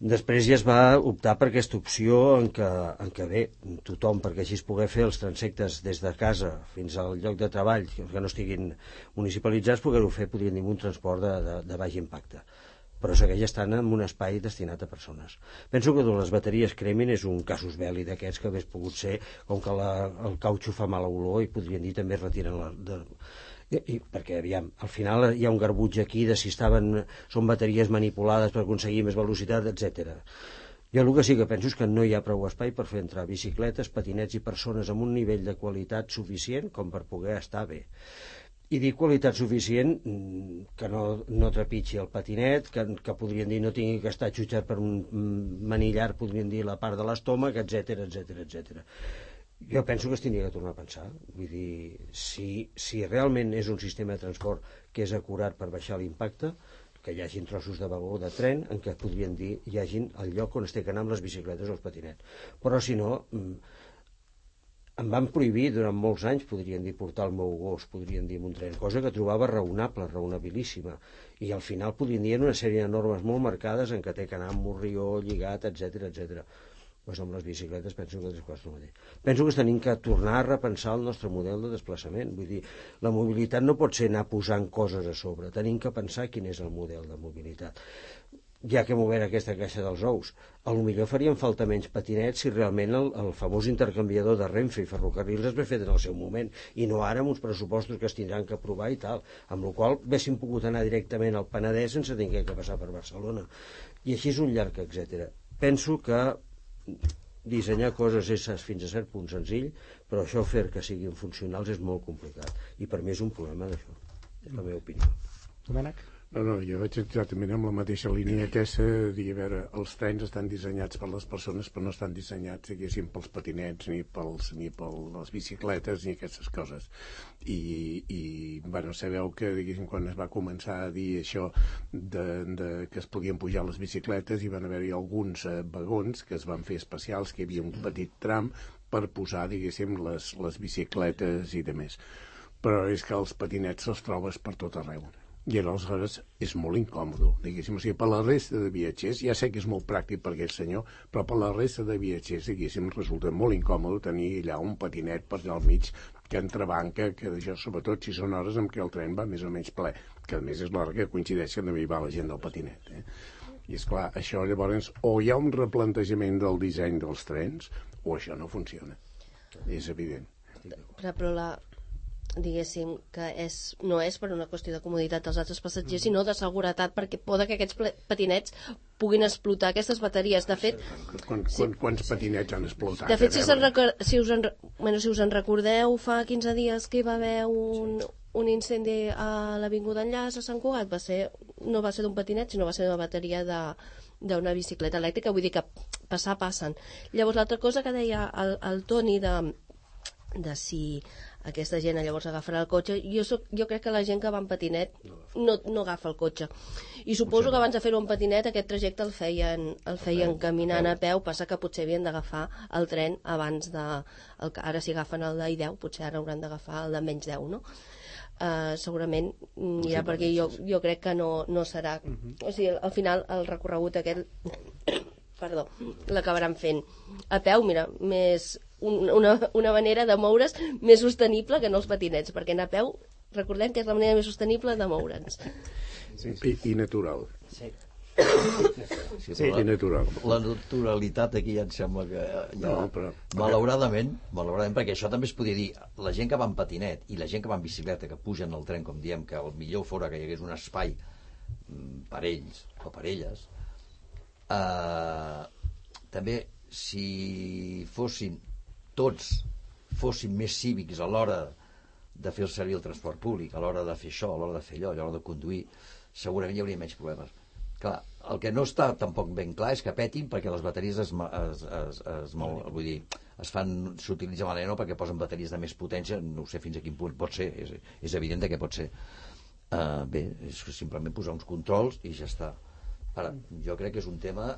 Speaker 4: Després ja es va optar per aquesta opció en què bé, tothom, perquè així es pugui fer els transectes des de casa fins al lloc de treball, que no estiguin municipalitzats, poder-ho fer, podríem dir, un transport de baix impacte. Però segueix estant en un espai destinat a persones. Penso que les bateries cremin és un casus belli d'aquests que hagués pogut ser, com que el cautxo fa mala olor i podrien dir també retiren perquè aviam, al final hi ha un garbuig aquí de si són bateries manipulades per aconseguir més velocitat, etc. Jo el que sí que penso és que no hi ha prou espai per fer entrar bicicletes, patinets i persones amb un nivell de qualitat suficient com per poder estar bé. I dir qualitat suficient que no trepitgi el patinet, que podrien dir no tingui que estar jutjat per un manillar, podrien dir la part de l'estómac, etc etc. Jo penso que es tindria que tornar a pensar. Vull dir, si realment és un sistema de transport que és acurat per baixar l'impacte, que hi hagin trossos de vagó de tren en què podrien dir hi hagin el lloc on es té que anar amb les bicicletes o els patinets. Però si no, em van prohibir durant molts anys, podrien dir, portar el meu gos, podrien dir, en un tren, cosa que trobava raonable, raonabilíssima. I al final podrien dir una sèrie de normes molt marcades en què té que anar amb morrió, lligat, etc. Pues amb les bicicletes penso que és el mateix. Penso que tenim que tornar a repensar el nostre model de desplaçament. Vull dir, la mobilitat no pot ser anar posant coses a sobre. Tenim que pensar quin és el model de mobilitat. Ja que hem obert aquesta caixa dels ous, potser farien falta menys patinets si realment el famós intercanviador de Renfe i Ferrocarrils es ve fet en el seu moment, i no ara amb uns pressupostos que es tindran que aprovar i tal, amb la qual cosa haguéssim pogut anar directament al Penedès sense haver de passar per Barcelona. I així és un llarg, etc. Penso que dissenyar coses és fins a cert punt senzill, però això fer que siguin funcionals és molt complicat, i per mi és un problema d'això, és la meva opinió.
Speaker 2: Domènec?
Speaker 5: No, jo vaig exactament amb la mateixa línia aquesta, dir, a veure, els trens estan dissenyats per les persones, però no estan dissenyats, diguéssim, pels patinets, ni per les bicicletes, ni aquestes coses. I bueno, sabeu que, diguéssim, quan es va començar a dir això que es podien pujar les bicicletes, hi van haver-hi alguns vagons que es van fer especials, que hi havia un petit tram per posar, diguéssim, les bicicletes i demés. Però és que els patinets els trobes per tot arreu. I aleshores és molt incòmode, diguéssim. O sigui, per la resta de viatgers, ja sé que és molt pràctic per aquell senyor, però per la resta de viatgers, diguéssim, resulta molt incòmode tenir allà un patinet per allà al mig que entrebanca, que això, sobretot si són hores en què el tren va més o menys ple, que a més és l'hora que coincideix que també hi va la gent del patinet. I és clar, això llavors o hi ha un replantejament del disseny dels trens o això no funciona. És evident.
Speaker 3: Però diguéssim que no és per una qüestió de comoditat dels altres passatgers, sinó de seguretat, perquè poden que aquests patinets puguin explotar aquestes bateries. De fet,
Speaker 5: quants patinets han explotat?
Speaker 3: De fet, si us en recordeu, fa 15 dies que hi va haver un incendi a l'Avinguda Enllaç a Sant Cugat, no va ser d'un patinet, sinó va ser d'una bateria d'una bicicleta elèctrica. Vull dir que passen. Llavors, l'altra cosa que deia el Toni de si aquesta gent llavors agafarà el cotxe, jo crec que la gent que va en patinet no agafa el cotxe, i suposo que abans de fer-ho en patinet aquest trajecte el feien caminant a peu. Passa que potser havien d'agafar el tren abans ara si agafen el d'I10, potser ara hauran d'agafar el de menys 10, no? Segurament anirà perquè jo crec que no serà, o sigui, al final el recorregut aquest l'acabaran fent a peu. Mira, més una manera de moure's més sostenible que no els patinets, perquè anar a peu, recordem que és la manera més sostenible de moure'ns.
Speaker 5: I natural.
Speaker 6: Sí,
Speaker 5: i natural.
Speaker 6: La naturalitat aquí ja em sembla que malauradament, perquè això també es podia dir, la gent que va en patinet i la gent que va en bicicleta, que pugen al tren, com diem, que el millor fora que hi hagués un espai per ells o per elles, també si tots fossin més cívics a l'hora de fer servir el transport públic, a l'hora de fer això, a l'hora de fer allò, a l'hora de conduir, segurament hi hauria menys problemes. Clar, el que no està tampoc ben clar és que petin perquè les bateries s'utilitzen malament, perquè posen bateries de més potència, no sé fins a quin punt pot ser, és evident que pot ser. Bé, és simplement posar uns controls i ja està. Ara, jo crec que és un tema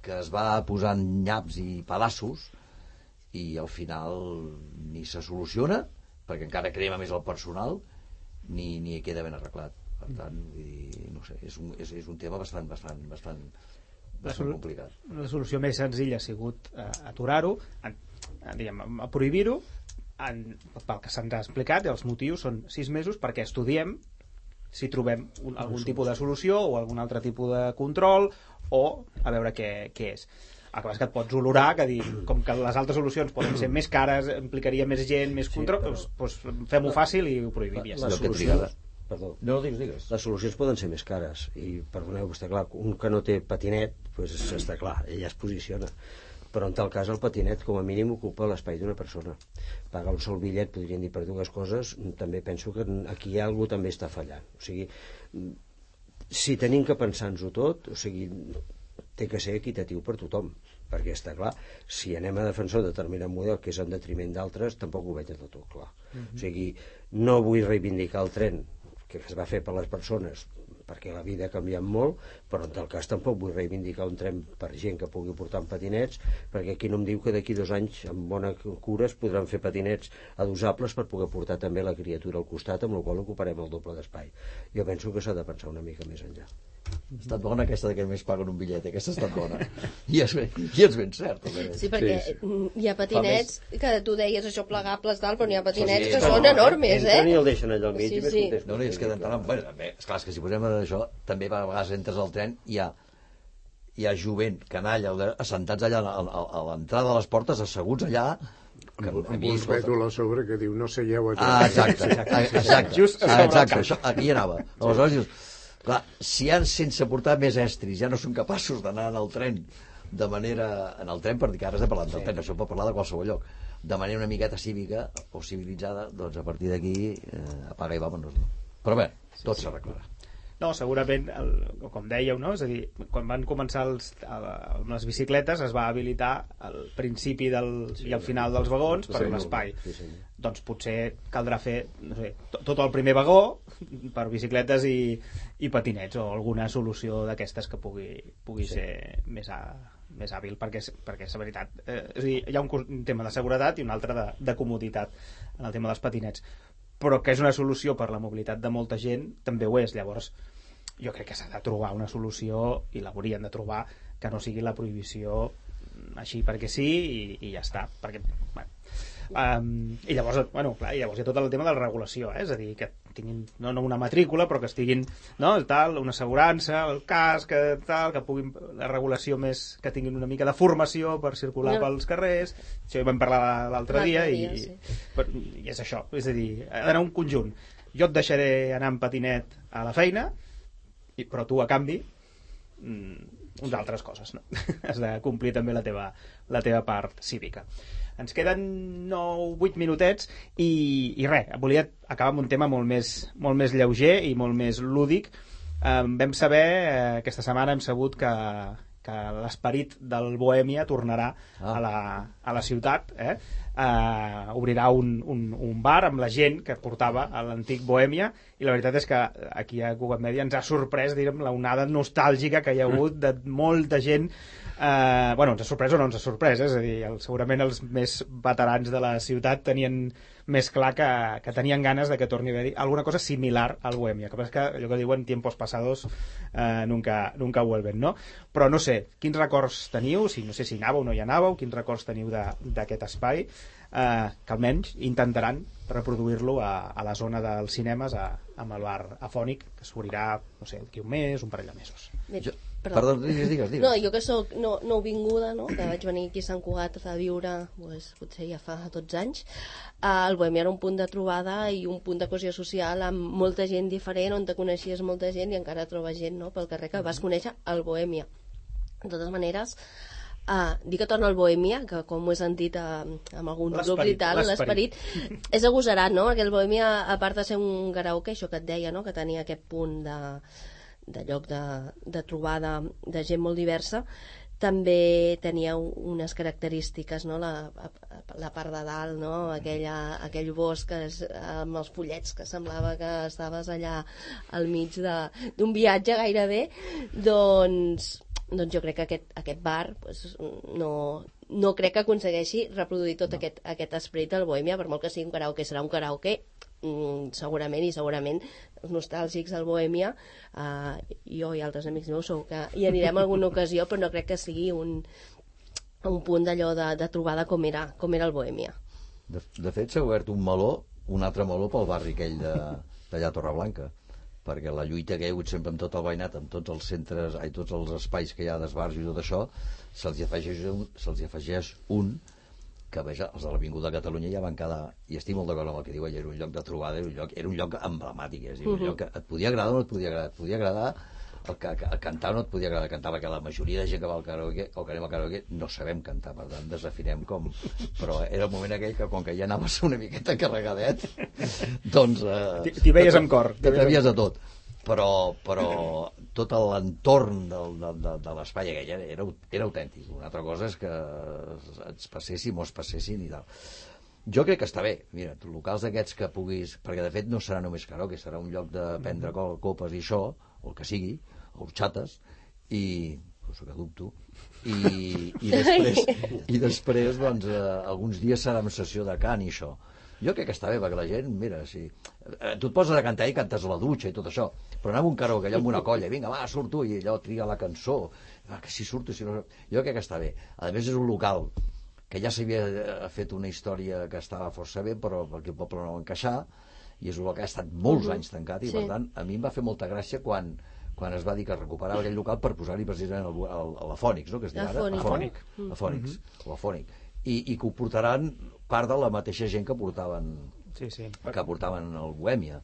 Speaker 6: que es va posant nyaps i pedaços i al final ni se soluciona, perquè encara crema més el personal, ni queda ben arreglat. Per tant, no sé, és un tema bastant complicat.
Speaker 2: La solució més senzilla ha sigut aturar-ho, a prohibir-ho, pel que se'ns ha explicat, els motius són 6 mesos perquè estudiem si trobem algun tipus de solució o algun altre tipus de control, o a veure què és. El que passa que et pots olorar, que dir, com que les altres solucions poden ser més cares, implicaria més gent, més control, doncs fem-ho fàcil i ho prohibim.
Speaker 4: Les solucions poden ser més cares i, perdoneu, està clar, un que no té patinet, doncs està clar, ella es posiciona, però en tal cas el patinet com a mínim ocupa l'espai d'una persona. Pagar un sol bitllet, podrien dir, per dues coses, també penso que aquí hi ha algú també està fallant. O sigui, si tenim que pensar-nos-ho tot, o sigui, té que ser equitatiu per tothom, perquè està clar, si anem a defensar un determinat model que és en detriment d'altres, tampoc ho veig de tot clar. O sigui, no vull reivindicar el tren que es va fer per les persones, perquè la vida ha canviat molt, però en tal cas tampoc vull reivindicar un tren per gent que pugui portar en patinets, perquè aquí no em diu que d'aquí 2 anys amb bona cura es podran fer patinets adosables per poder portar també la criatura al costat, amb la qual ocuparem el doble d'espai. Jo penso que s'ha de pensar una mica més enllà.
Speaker 6: Ha estat bona aquesta que només paguen un bitllet, aquesta ha estat bona. I és ben cert.
Speaker 3: Sí, perquè hi ha patinets que tu deies això plegables tal, però n'hi ha patinets que són enormes,
Speaker 4: Entren i el deixen allà al mig i més contents.
Speaker 6: No, és que d'entrar... Esclar, és que si posem això, també a vegades entres al tren i hi ha jovent, canalla, assentats allà a l'entrada de les portes, asseguts allà,
Speaker 5: amb un pètol a sobre que diu no seieu a
Speaker 6: tren. Exacte, això, aquí hi anava. Aleshores dius, clar, si sense portar més estris ja no són capaços d'anar en el tren de manera... En el tren, per dir que ara estem parlant del tren, això pot parlar de qualsevol lloc. De manera una miqueta cívica o civilitzada, doncs a partir d'aquí apaga i vámonos. Però bé, tot s'arreglarà.
Speaker 2: No, segurament, com dèieu, no? És a dir, quan van començar amb les bicicletes es va habilitar al principi i al final dels vagons per un espai. Doncs potser caldrà fer no sé, tot el primer vagó per bicicletes i patinets o alguna solució d'aquestes que pugui ser més hàbil, perquè és veritat. És a dir, hi ha un tema de seguretat i un altre de comoditat en el tema dels patinets, però que és una solució per la mobilitat de molta gent, també ho és. Llavors, jo crec que s'ha de trobar una solució, i l'haurien de trobar, que no sigui la prohibició així perquè sí i ja està. Perquè, bueno, i llavors, clar, llavors hi ha tot el tema de la regulació, és a dir, que tinguin no una matrícula, però que estiguin, no, tal, una assegurança, el casc, tal, que puguin la regulació més, que tinguin una mica de formació per circular pels carrers. Això ho vam parlar l'altre dia i és això, és a dir, ha d'anar un conjunt. Jo et deixaré anar en patinet a la feina, però tu a canvi uns altres coses, no? Has de complir també la teva part cívica. Ens queden 8 minutets i res, volia acabar amb un tema molt més lleuger i molt més lúdic. Vam saber, aquesta setmana hem sabut que l'esperit del Bohèmia tornarà a la ciutat, obrirà un bar amb la gent que portava a l'antic Bohèmia, i la veritat és que aquí a Cugat Mèdia ens ha sorprès, diguem, la onada nostàlgica que hi ha hagut de molta gent. Ens ha sorprès o no ens ha sorprès, és a dir, segurament els més veterans de la ciutat tenien més clar que tenien ganes de que torni a haver-hi alguna cosa similar al Bohèmia, que allò que diuen tiempos pasados nunca vuelven, no? Però no sé, quins records teniu, no sé si anàveu o no hi anàveu, quins records teniu d'aquest espai, que almenys intentaran reproduir-lo a la zona dels cinemes, amb el bar Afònic, que s'obrirà, no sé, d'aquí un mes, un parell de mesos.
Speaker 6: Perdó, digues.
Speaker 3: No, jo que soc nouvinguda, no? Que vaig venir aquí a Sant Cugat a viure, potser ja fa 12 anys, el Bohèmia era un punt de trobada i un punt de cohesió social amb molta gent diferent, on te coneixies molta gent i encara trobes gent, no?, pel carrer que vas conèixer el Bohèmia. De totes maneres, dir que torna al Bohèmia, que com ho he sentit amb alguns grups i tal, l'esperit és agosarat, no? Perquè el Bohèmia, a part de ser un karaoke, això que et deia, no?, que tenia aquest punt de lloc de trobada de gent molt diversa, també tenia unes característiques, no? La part de dalt, no? Aquell bosc amb els pollets, que semblava que estaves allà al mig d'un viatge gairebé. Doncs jo crec que aquest bar no crec que aconsegueixi reproduir tot aquest esperit del Bohèmia, per molt que sigui un karaoke, serà un karaoke segurament els nostàlgics del Bohèmia, jo i altres amics meus segur que hi anirem alguna ocasió, però no crec que sigui un punt d'allò de trobada com era el Bohèmia.
Speaker 6: De fet s'ha obert un altre meló pel barri aquell d'allà a Torreblanca, perquè la lluita que hi ha hagut sempre amb tot el veïnat, amb tots els centres, tots els espais que hi ha d'esbarjo i tot això, se'ls afegeix un que els de l'Avinguda de Catalunya ja van quedar, i estic molt d'acord amb el que diu ell, era un lloc de trobada, era un lloc emblemàtic, és a dir, un lloc que et podia agradar o no et podia agradar, el cantar no et podia agradar cantar, perquè la majoria de gent que va al karaoke o que anem al karaoke no sabem cantar, per tant desafinem com, però era el moment aquell que com que ja anaves una miqueta carregadet, doncs
Speaker 2: t'hi veies amb cor,
Speaker 6: t'atrevies a tot, però tot l'entorn de l'espai aquell era autèntic. Una altra cosa és que ens passéssim o es passessin i tal. Jo crec que està bé, mira, locals d'aquests que puguis, perquè de fet no serà només karaoke, serà un lloc de prendre copes i això, o el que sigui, o horxates, cosa que dubto, i després doncs, alguns dies serà una sessió de cant i això. Jo crec que està bé, perquè la gent, mira, si tu et poses a cantar i cantes a la dutxa i tot això, però anar a un karaoke allò amb una colla, vinga, va, surt tu, i allò tria la cançó, que si surto, si no... Jo crec que està bé. A més, és un local que ja s'havia fet una història que estava força bé, però perquè el poble no va encaixar, i és un local que ha estat molts anys tancat, i per tant, a mi em va fer molta gràcia quan es va dir que es recuperava aquell local per posar-hi precisament la Fònix, no?, que es diu ara? La Fònix, i que ho portaran part de la mateixa gent que portaven el Bohèmia.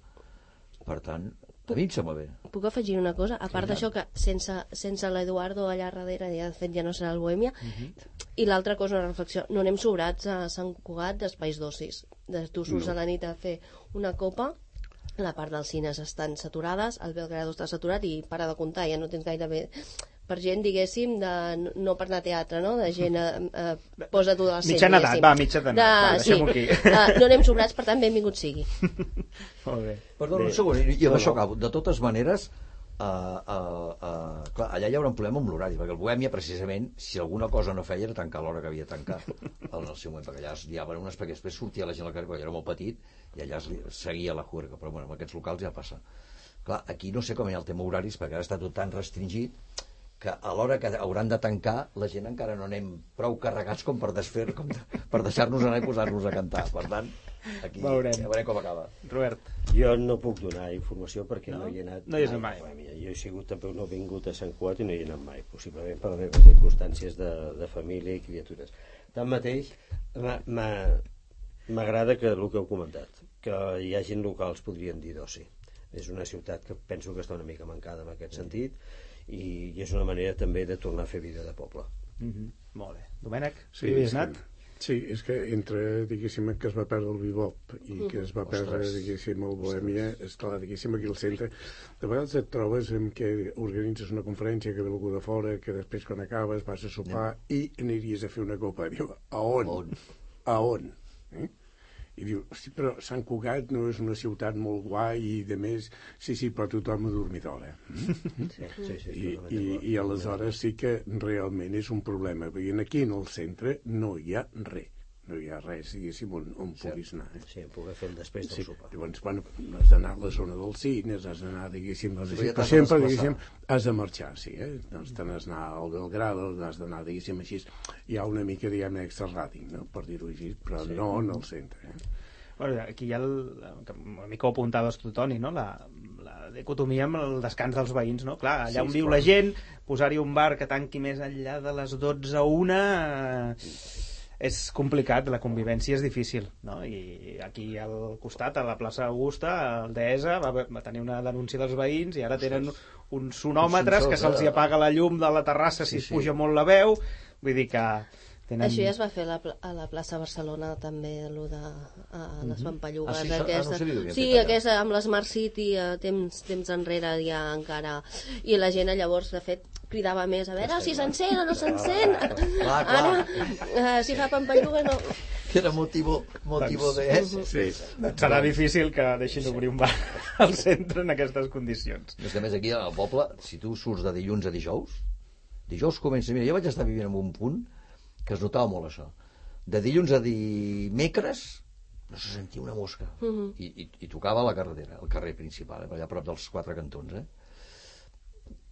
Speaker 6: Per tant, a mi em sembla bé.
Speaker 3: Puc afegir una cosa? A part d'això, que sense l'Eduardo allà darrere, ja de fet ja no serà el Bohèmia, i l'altra cosa, una reflexió, no anem sobrats a Sant Cugat d'espais d'ocis. Tu surts a la nit a fer una copa, la part dels cines estan saturades, el Belgrado està saturat i para de comptar, ja no tens gaire bé... Per gent, diguéssim, no per anar a teatre, no? De gent posa tu al centre.
Speaker 2: Mitjana edat, va, mitjana edat, deixem-ho aquí.
Speaker 3: No anem sobrats, per tant, benvingut sigui.
Speaker 2: Molt bé.
Speaker 6: Perdona un segon, i amb això acabo. De totes maneres, clar, allà hi haurà un problema amb l'horari, perquè el Bohèmia, precisament, si alguna cosa no feia era tancar l'hora que havia de tancar en el seu moment, perquè allà es diaven unes, perquè després sortia la gent al carrer, quan era molt petit, i allà seguia la juerga, però bueno, en aquests locals ja passa. Clar, aquí no sé com hi ha el tema horaris, perquè ara està tot tan restringit que a l'hora que hauran de tancar la gent encara no anem prou carregats com per desfer, com per deixar-nos anar i posar-nos a cantar. Per tant, aquí ja veurem com acaba.
Speaker 2: Robert.
Speaker 4: Jo no puc donar informació perquè no hi he anat
Speaker 2: mai.
Speaker 4: Jo he sigut també no he vingut a Sant Cugat i no hi he anat mai, possiblement per les meves circumstàncies de família i criatures. Tanmateix, m'agrada que el que heu comentat, que hi ha gent locals, podríem dir d'oci. És una ciutat que penso que està una mica mancada en aquest sentit, i és una manera també de tornar a fer vida de poble.
Speaker 2: Molt bé. Domènec,
Speaker 5: sí,
Speaker 2: hi has anat?
Speaker 5: Sí, és que entre, diguéssim, que es va perdre el bebop i que es va perdre, diguéssim, el Bohèmia, esclar, diguéssim, aquí al centre, de vegades et trobes en què organitzes una conferència, que ve algú de fora, que després quan acabes vas a sopar i aniries a fer una copa. Diu, a on? A on? I diu, hosti, però Sant Cugat no és una ciutat molt guai i de més, sí, però tothom ha dormit d'hora. I aleshores sí que realment és un problema, perquè aquí en el centre no hi ha res. No hi ha res, diguéssim, on puguis anar.
Speaker 4: Sí, poder fer el després del sopar.
Speaker 5: Llavors, bueno, has d'anar a la zona dels cines, has d'anar, diguéssim, però sempre, diguéssim, has de marxar, sí, doncs te n'has d'anar al Belgrado, has d'anar, diguéssim, així, hi ha una mica, diguem, extra ràting, no?, per dir-ho així, però no en el centre,
Speaker 2: Bueno, aquí hi ha una mica ho apuntaves tu, Toni, no?, la dicotomia amb el descans dels veïns, no? Clar, allà on viu la gent, posar-hi un bar que tanqui més enllà de les 12 a 1... és complicat, la convivència és difícil, no? I aquí al costat, a la plaça Augusta, el Deesa va tenir una denúncia dels veïns i ara tenen uns sonòmetres que se'ls apaga la llum de la terrassa si es puja molt la veu, vull dir que tenen...
Speaker 3: Això ja es va fer a la plaça Barcelona també, allò de les pampallugues aquesta, amb l'Smart City temps enrere ja encara, i la gent llavors de fet cridava més, a veure si s'encén o no s'encén, ara si fa pampalluga no...
Speaker 6: Que era motivo de...
Speaker 2: Sí, serà difícil que deixin d'obrir un bar al centre en aquestes condicions.
Speaker 6: És que a més aquí al poble, si tu surts de dilluns a dijous comença... Mira, jo vaig estar vivint en un punt que es notava molt això. De dilluns a dimecres no se sentia una mosca. I tocava la carretera, el carrer principal, allà a prop dels 4 cantons,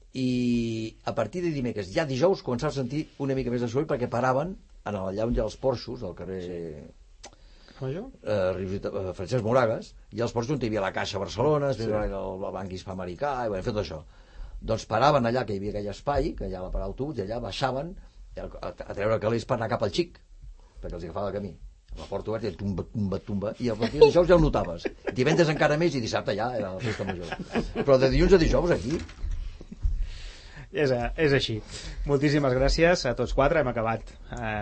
Speaker 6: I a partir de dimecres, ja dijous, començava a sentir una mica més de soroll perquè paraven allà on hi ha els porxos, al carrer Francesc Moragas, i als porxos on hi havia la Caixa Barcelona, el Banc Hispanoamericà, i fet això. Doncs paraven allà, que hi havia aquell espai, que allà va parar l'autobús, i allà baixaven a treure calés per anar cap al Xic, perquè els agafava el camí. La porta oberta, tumba, i a partir de dijous ja ho notaves. Divendres encara més, i dissabte ja era la festa major. Però de dilluns a dijous aquí...
Speaker 2: És així. Moltíssimes gràcies a tots quatre. Hem acabat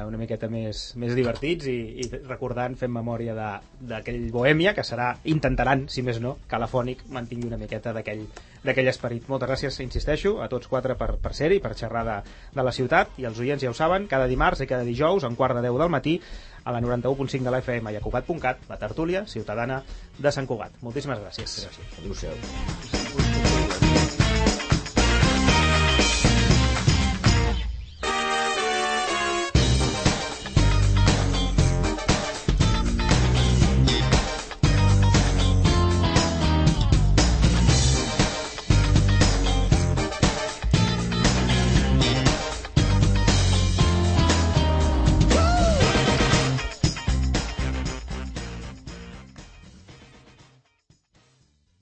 Speaker 2: una miqueta més divertits i recordant, fent memòria d'aquell Bohèmia, que intentaran, si més no, que l'Afònic mantingui una miqueta d'aquell esperit. Moltes gràcies, insisteixo, a tots quatre per ser-hi, per xerrar de la ciutat, i els oients ja ho saben, cada dimarts i cada dijous, a 9:45 del matí, a la 91.5 de la FM i a Cugat.cat, la tertúlia ciutadana de Sant Cugat. Moltíssimes gràcies.
Speaker 6: Gràcies. Adéu-siau.